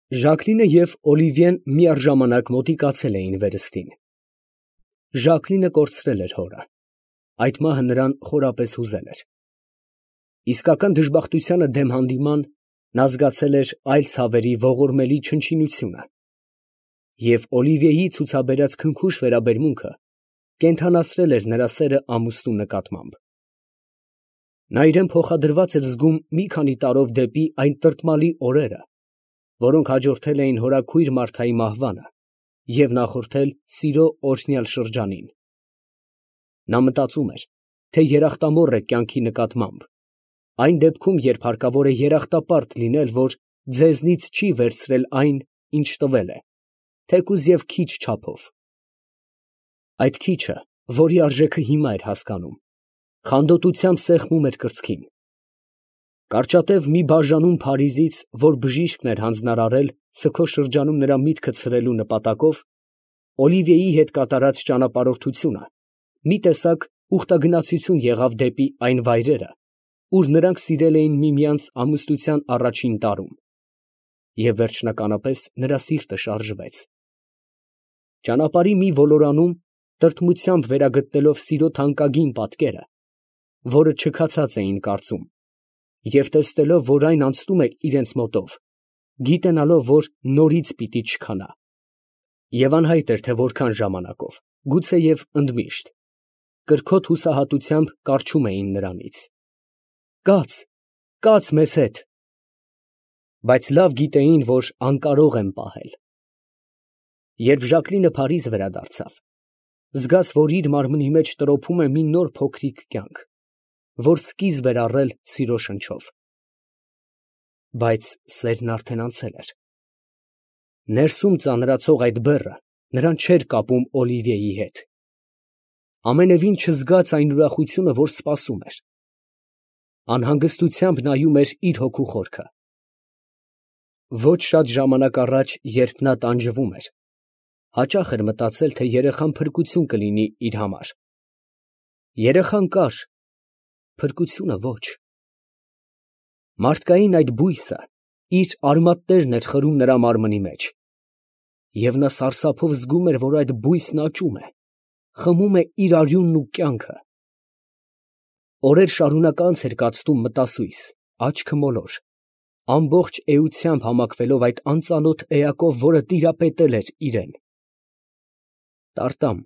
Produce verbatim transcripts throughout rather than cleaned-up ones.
Ժակլինը և Օլիվիեն միառժամանակ մոտիկացել էին վերստին։ Ժակլինը կորցրել էր հորը, այդ մահը նրան խորապես հուզել էր։ Իսկական դժբախտությանը դեմ հանդիման նա զգացել էր այլ ցավերի ողորմելի չնչինությունը, և Օլիվիեի ցուցաբերած քնքուշ վերաբերմունքը կենդանացրել էր նրա սերը ամուսնու նկատմամբ։ Նա իրան փոխադրված էր զգում մի քանի տարով դեպի այն տրտմալի օրերը, որոնք հաջորդել էին հորաքույր Մարթայի մահվանը և նախորդել սիրո օրհնյալ շրջանին։ Նա մտածում էր, թե երախտամոռ է կյանքի նկատմամբ, այն դեպքում, երբ հարկավոր է երախտապարտ լինել, որ ձեզնից չի վերցրել այն, ինչ տվել է, թեկուզ և քիչ չափով։ Այդ քիչը, որի արժեքը հիմա էր հասկանում, խանդոտությամբ սեղմում էր կրծքին։ Կարճատև մի բաժանում Փարիզից, որ բժիշկն էր հանձնարարել սգո շրջանում նրա միտքը ցրելու նպատակով, Օլիվիեի հետ կատարած ճանապարհորդությունը մի տեսակ ուխտագնացություն եղավ դեպի այն վայրերը, ուր նրանք սիրել էին միմյանց ամուսնության առաջին տարում, և վերջնականապես նրա սիրտը շարժվեց։ Ճանապարհի մի ոլորանում, տրտմությամբ վերագտնելով սիրո թանկագին պատկերը, որը չքացած էին կարծում, և տեսնելով, որ այն անցնում է իրենց մոտով, գիտենալով, որ նորից պիտի չքանա, և անհայտ էր, թե որքան ժամանակով, գուցեև ընդմիշտ, կրքոտ հուսահատությամբ կառչում էին նրանից. «Կաց, կաց մեզ հետ», բայց լավ գիտեին, որ անկարող են պահել։ Երբ Ժակլինը Փարիզ վերադարձավ, զգաց, որ իր մարմնի մեջ տրոփում է մի նոր փոքրիկ կյանք, որ սկիզբ էր առել սիրո շնչով։ Բայց սերն արդեն անցել էր։ Ներսում ծանրացող այդ բեռը նրան չէր կապում Օլիվիեի հետ, ամենևին չզգաց այն ուրախությունը, որ սպասում էր։ Անհանգստությամբ նայում էր իր հոգու խորքը։ Ոչ շատ ժամանակ առաջ, երբ նա տանջվում էր, հաճախ էր մտածել, թե երեխան փրկություն կլինի իր համար։ Երեխան կար, փրկությունը ոչ։ Մարդկային այդ բույսը իր արմատներն էր խրում նրա մարմնի մեջ, և նա սարսափով զգում էր, որ այդ բույսն աճում է, խմում է իր արյունն ու կյանքը։ Օրեր շարունակ անց էր կացնում մտասույս, աչքը մոլոր, ամբողջ էությամբ համակվելով այդ անծանոթ էակով, որը տիրապետել էր իրան։ Տարտամ,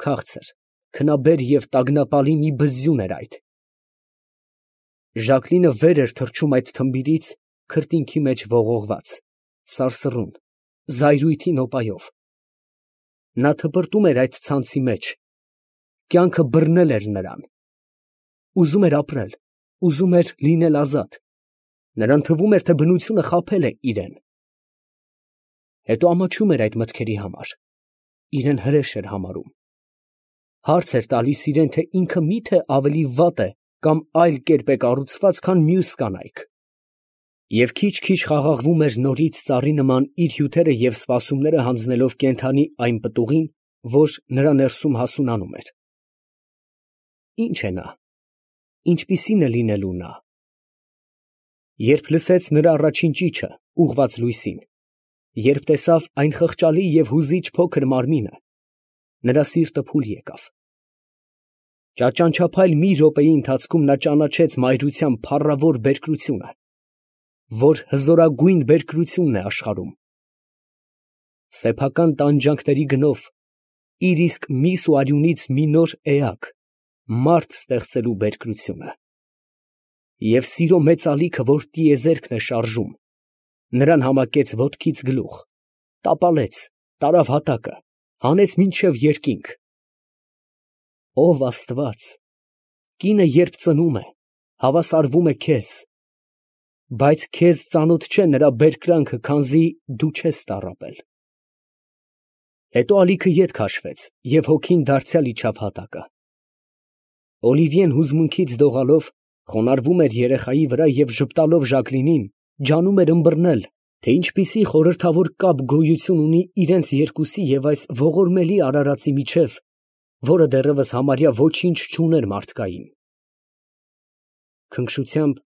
քաղցր, քնաբեր և տագնապալի մի բզզյուն էր այդ։ Ժակլինը վեր էր թռչում այդ թմբիրից, քրտինքի մեջ ողողված, սարսռուն, զայրույթի նոպայով։ Նա թպրտում էր այդ ցանցի մեջ, կյանքը բռնել էր նրան։ Ուզում էր ապրել, ուզում էր լինել ազատ, նրան թվում էր, թե բնությունը խաբել է իրան։ Հետո ամաչում էր այդ մտքերի համար, իրան հրեշ էր համարում։ Հարց էր տալիս իրան, թե ինքը մի՞թե ավելի վատ է կամ այլ կերպ է կառուցված, քան մյուս կանայք, և քիչ֊քիչ խաղաղվում էր նորից ծառի նման իր հյութերը և սպասումները հանձնելով կենդանի այն պտուղին, որ նրա ներսում հասունանում էր։ Ի՞նչ է նա, ինչպիսի՞ն է լինելու նա։ Երբ լսեց նրա առաջին ճիչը, ուղղված լույսին, երբ տեսավ այն խղճալի և հուզիչ փոքր մարմինը, նրա սիրտը փուլ եկավ։ Ճաճանչափայլ մի րոպեի ընթացքում նա ճանաչեց մայրության փառավոր բերկրությունը, որ հզորագույն բերկրությունն է աշխարհում։ Սեփական տանջանքների գնով իր իսկ միս ու արյունից մի նոր էակ, մարդ ստեղծելու բերկրությունը։ Եվ սիրո մեծ ալիքը, որ տիեզերքն է շարժում, նրան համակեց ոտքից գլուխ, տապալեց, տարավ հատակը, հանեց մինչև երկինք։ Ո՛վ Աստված, կինը երբ ծնում է, հավասարվում է քեզ, բայց քեզ ծանոթ չէ նրա բերկրանքը, քանզի դու չես տառապել։ Հետո ալիքը ետ քաշվեց, և հոգին դարձյալ իջավ հատակը։ Օլիվիեն հուզմունքից դողալով խոնարհվում էր երեխայի վրա և ժպտալով Ժակլինին, ջանում էր ըմբռնել, թե ինչպիսի խորհրդավոր կապ գոյություն ունի իրենց երկուսի և այս ողորմելի արարածի միջև, որը դեռևս համարյա ոչինչ չուներ մարդկային։ Քնքշությամբ,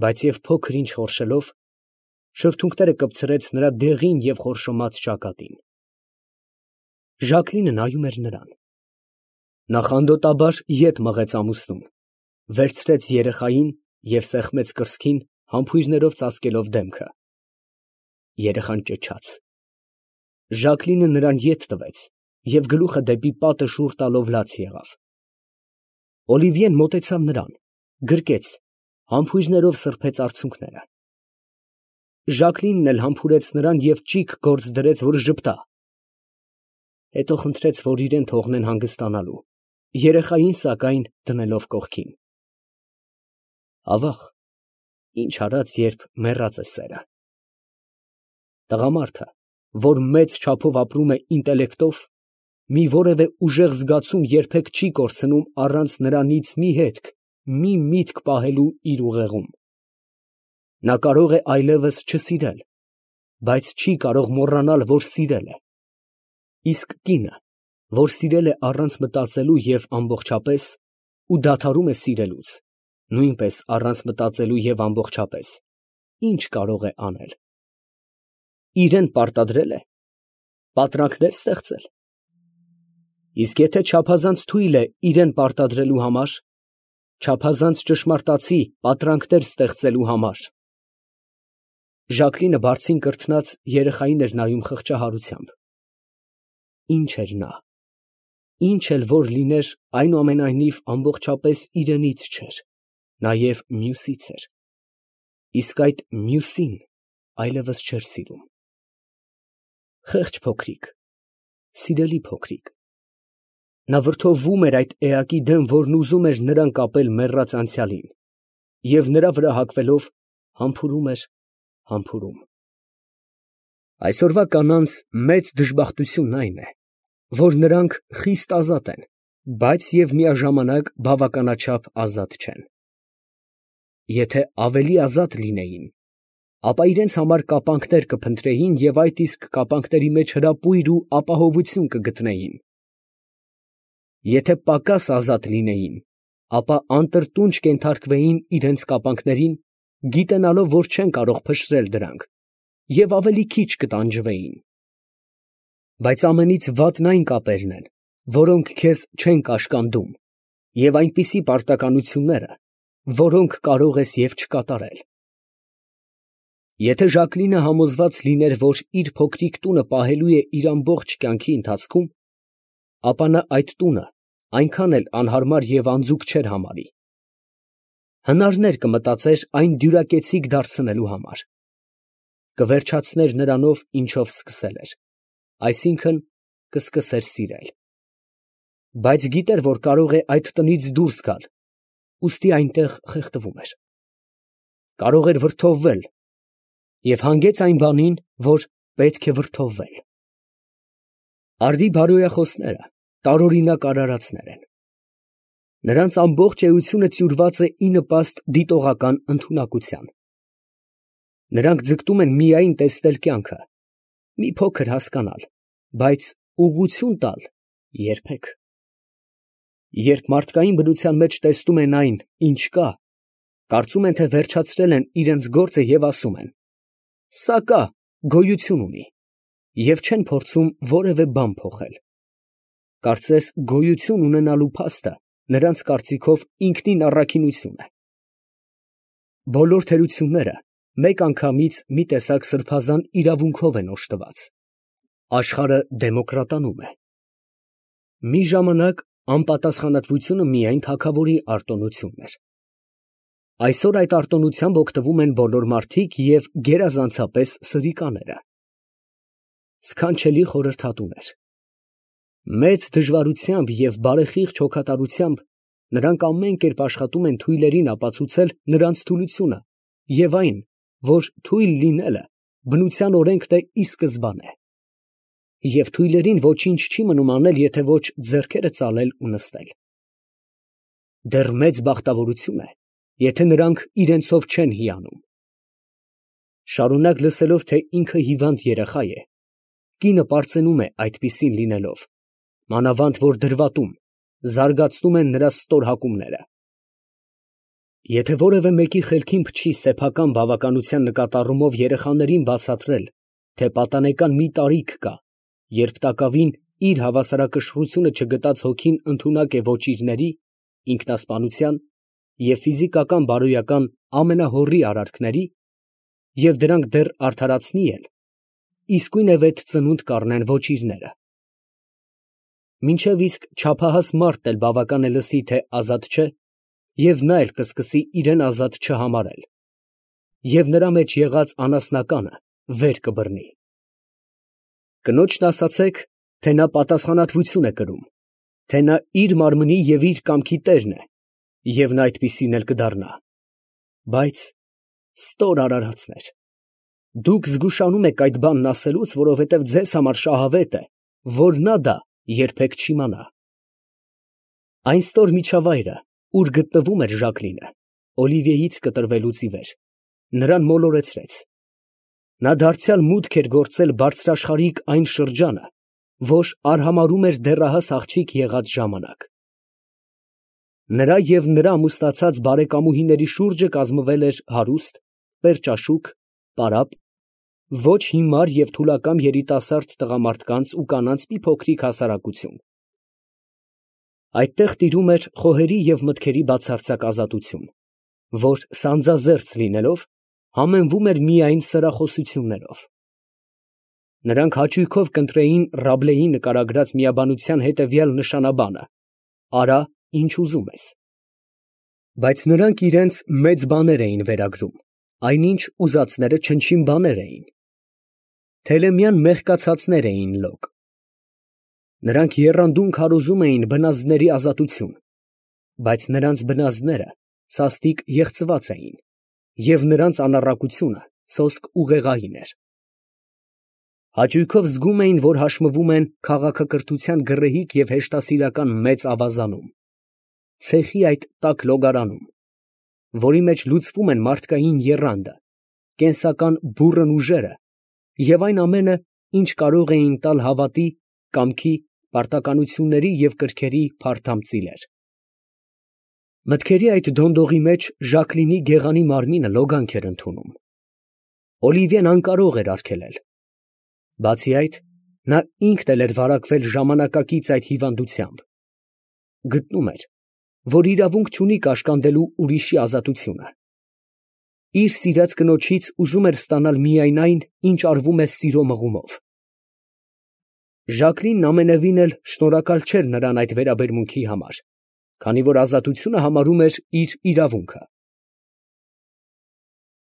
բայց և փոքր ինչ խորշելով, Շրթունքները կպցրեց նրա դեղին և խորշոմած ճակատին։ Ժակլինը նայում էր նրան։ Նա խանդոտաբար ետ մղեց ամուսնուն, վերցրեց երեխային և սեղմեց կրծքին, համբույրներով ծածկելով դեմքը։ Երեխան ճչաց։ Ժակլինը նրան ետ տվեց և գլուխը դեպի պատը շուռ տալով լաց եղավ։ Օլիվիեն մոտեցավ նրան, գրկեց, համբույրներով սրբեց արցունքները։ Ժակլինն էլ համբուրեց նրան և ճիգ գործ դրեց, որ ժպտա։ Հետո խնդրեց, որ իրան թողնեն հանգստանալու, երեխային, սակայն, դնելով կողքին։ Ավաղ, ինչ արած, երբ մեռած է սերը։ Տղամարդը, որ մեծ չափով ապրում է ինտելեկտով, մի որևէ ուժեղ զգացում երբեք չի կորցնում առանց նրանից մի հետք, մի միտք պահելու իր ուղեղում։ Նա կարող է այլևս չսիրել, բայց չի կարող մոռանալ, որ սիրել է, իսկ կինը, որ սիրել է առանց մտածելու և ամբողջապես, ու դադարում է սիրելուց, նույնպես առանց մտածելու և ամբողջապես, ի՞նչ կարող է անել։ Իրան պարտադրե՞լ է, պատրանքնե՞ր ստեղծել։ Իսկ եթե չափազանց թույլ է իրան պարտադրելու համար, չափազանց ճշմարտացի պատրանքներ ստեղծելու համար։ Ժակլինը բարձին կրթնած երեխային էր նայում խղճահարությամբ։ Ինչ էր նա, ինչ էլ որ լիներ, այնուամենայնիվ ամբողջապես իրենից չէր, նաև մյուսից էր, իսկ այդ մյուսին այլևս չէր սիրում։ Խեղճ փոքրիկ, սիրելի փոքրիկ։ Նա վրդովվում էր այդ էակի դեմ, որն ուզում էր նրան կապել մեռած անցյալին, և նրա վրա հագվելով համբուրում էր, համբուրում։ Այսօրվա կանանց մեծ դժբախտությունն այն է, որ նրանք խիստ ազատ են, բայց և միաժամանակ բավականաչափ ազատ չեն։ Եթե ավելի ազատ լինեին, ապա իրենց համար կապանքներ կփնտրեին և այդ իսկ կապանքների մեջ հրապույր ու ապահովություն կգտնեին։ Եթե պակաս ազատ լինեին, ապա անտրտունջ կենթարկվեին իրենց կապանքներին, գիտենալով, որ չեն կարող փշրել դրանք, և ավելի քիչ կտանջվեին։ Բայց ամենից վատն այն կապերն են, որոնք քեզ չեն կաշկանդում, և այնպիսի պարտականությունները, որոնք կարող ես և չկատարել։ Եթե Ժակլինը համոզված լիներ, որ իր փոքրիկ տունը պահելու է իր ամբողջ կյանքի ընթացքում, ապա նա այդ տունը այնքան էլ անհարմար և անձուկ չէր համարի։ Հնարներ կմտածեր այն դյուրակեցիկ դարձնելու համար։ Կվերջացներ նրանով, ինչով սկսել էր, այսինքն՝ կսկսեր սիրել։ Բայց գիտեր, որ կարող է այդ տնից դուրս գալ, ուստի այնտեղ խեղդվում էր։ Կարող էր վրդովվել և հանգեց այն բանին, որ պետք է վրդովվել։ Արդի բարոյախոսները տարօրինակ արարածներ են։ Նրանց ամբողջ էությունը տյուրված է ի նպաստ դիտողական ընդունակության։ Նրանք ձգտում են միայն տեսնել կյանքը, մի փոքր հասկանալ, բայց ուղղություն տալ երբեք։ Երբ մարդկային բնության մեջ տեսնում են այն, ինչ կա, կարծում են, թե վերջացրել են իրենց գործը և ասում են. «Սա կա, գոյություն ունի», և չեն փորձում որևէ բան փոխել։ Կարծես գոյություն ունենալու փաստը նրանց կարծիքով ինքնին առաքինություն է։ Բոլոր թերությունները մեկանգամից մի տեսակ սրբազան իրավունքով են օժտված։ Աշխարհը դեմոկրատանում է։ Մի ժամանակ անպատասխանատվությունը միայն թագավորի արտոնությունն էր։ Այսօր այդ արտոնությամբ օգտվում են բոլոր մարդիկ և գերազանցապես սրիկաները։ Սքանչելի խորհրդատուներ։ Մեծ դժվարությամբ և բարեխիղճ հոգատարությամբ նրանք ամեն կերպ աշխատում են թույլերին ապացուցել նրանց թուլությունը և այն, որ թույլ լինելը բնության օրենքն է ի սկզբանե։ Եվ թույլերին ոչինչ չի մնում անել, եթե ոչ ձեռքերը ծալել ու նստել։ Դեռ մեծ բախտավորություն է, եթե նրանք իրենցով չեն հիանում։ Շարունակ լսելով, թե ինքը հիվանդ երեխա է, կինը պարծենում է այդպիսին լինելով, մանավանդ որ դրվատում, զարգացնում են նրա ստոր հակումները։ Եթե որևէ մեկի խելքին փչի սեփական բավականության նկատառումով երեխաներին բացատրել, թե պատանեկան մի տարիք կա, երբ տակավին իր հավասարակշռությունը չգտած հոգին ընդունակ է ոչիրների, ինքնասպանության և ֆիզիկական բարոյական ամենահոռի արարքների, և դրանք դեռ արդարացնի էլ, իսկույն է վեթ ծնունդ կառնեն ոչիրները։ Մինչև իսկ չափահաս մարդն էլ բավական է լսի, թե ազատ չէ, և նա էլ կսկսի իրան ազատ չհամարել, և նրա մեջ եղած անասնականը վեր կբռնի։ Կնոջն ասացեք, թե նա պատասխանատվություն է կրում, թե նա իր մարմնի և իր կամքի տերն է, և նա այդպիսին էլ կդառնա։ Բայց ստոր արարածներ, դուք զգուշանում եք այդ բանն ասելուց, որովհետև ձեզ համար շահավետ է, որ նա դա երբեք չիմանա։ Այն ստոր միջավայրը, ուր գտնվում էր Ժակլինը, Օլիվիեից կտրվելուց ի վեր, նրան մոլորեցրեց. նա դարձյալ մուտք էր գործել բարձրաշխարհիկ այն շրջանը, որ արհամարհում էր դեռահաս աղջիկ եղած ժամանակ։ Նրա և նրա ամուսնացած բարեկամուհիների շուրջը կազմվել էր հարուստ, պերճաշուք, պարապ, ոչ հիմար և թուլակամ երիտասարդ տղամարդկանց ու կանանց մի փոքրիկ հասարակություն։ Այդտեղ տիրում էր խոհերի և մտքերի բացարձակ ազատություն, որ սանձազերծ լինելով, համեմվում էր միայն սրախոսություններով։ Նրանք հաճույքով կընտրեին Ռաբլեի նկարագրած միաբանության հետևյալ նշանաբանը. «Արա, ինչ ուզում ես»։ Բայց նրանք իրենց մեծ բաներ էին վերագրում, այնինչ ուզածները չնչին բաներ էին։ Թելեմյան մեղկացածներ էին լոկ։ Նրանք եռանդուն քարոզում էին բնազդների ազատություն, բայց նրանց բնազդները սաստիկ եղծված էին, և նրանց անառակությունը սոսկ ուղեղային էր։ Հաճույքով զգում էին, որ հաշմվում են քաղաքակրթության գռեհիկ և հեշտասիրական մեծ ավազանում, ցեխի այդ տաք լոգարանում, որի մեջ լուծվում են մարդկային եռանդը, կենսական բուռն ուժերը և այն ամենը, ինչ կարող էին տալ հավատի, կամքի, պարտականությունների և կրքերի փարթամ ծիլեր։ Մտքերի այդ դոնդողի մեջ Ժակլինի գեղանի մարմինը լոգանք էր ընդունում։ Օլիվիեն անկարող էր արգելել։ Բացի այդ, նա ինքն էլ էր վարակվել ժամանակակից այդ հիվանդությամբ։ Գտնում էր, որ իրավունք չունի կաշկանդելու ուրիշի ազատությունը։ Իր սիրած կնոջից ուզում էր ստանալ միայն այն, ինչ արվում է սիրո մղումով։ Ժակլինն ամենևին էլ շնորհակալ չէր նրան այդ վերաբերմունքի համար, քանի որ ազատությունը համարում էր իր իրավունքը։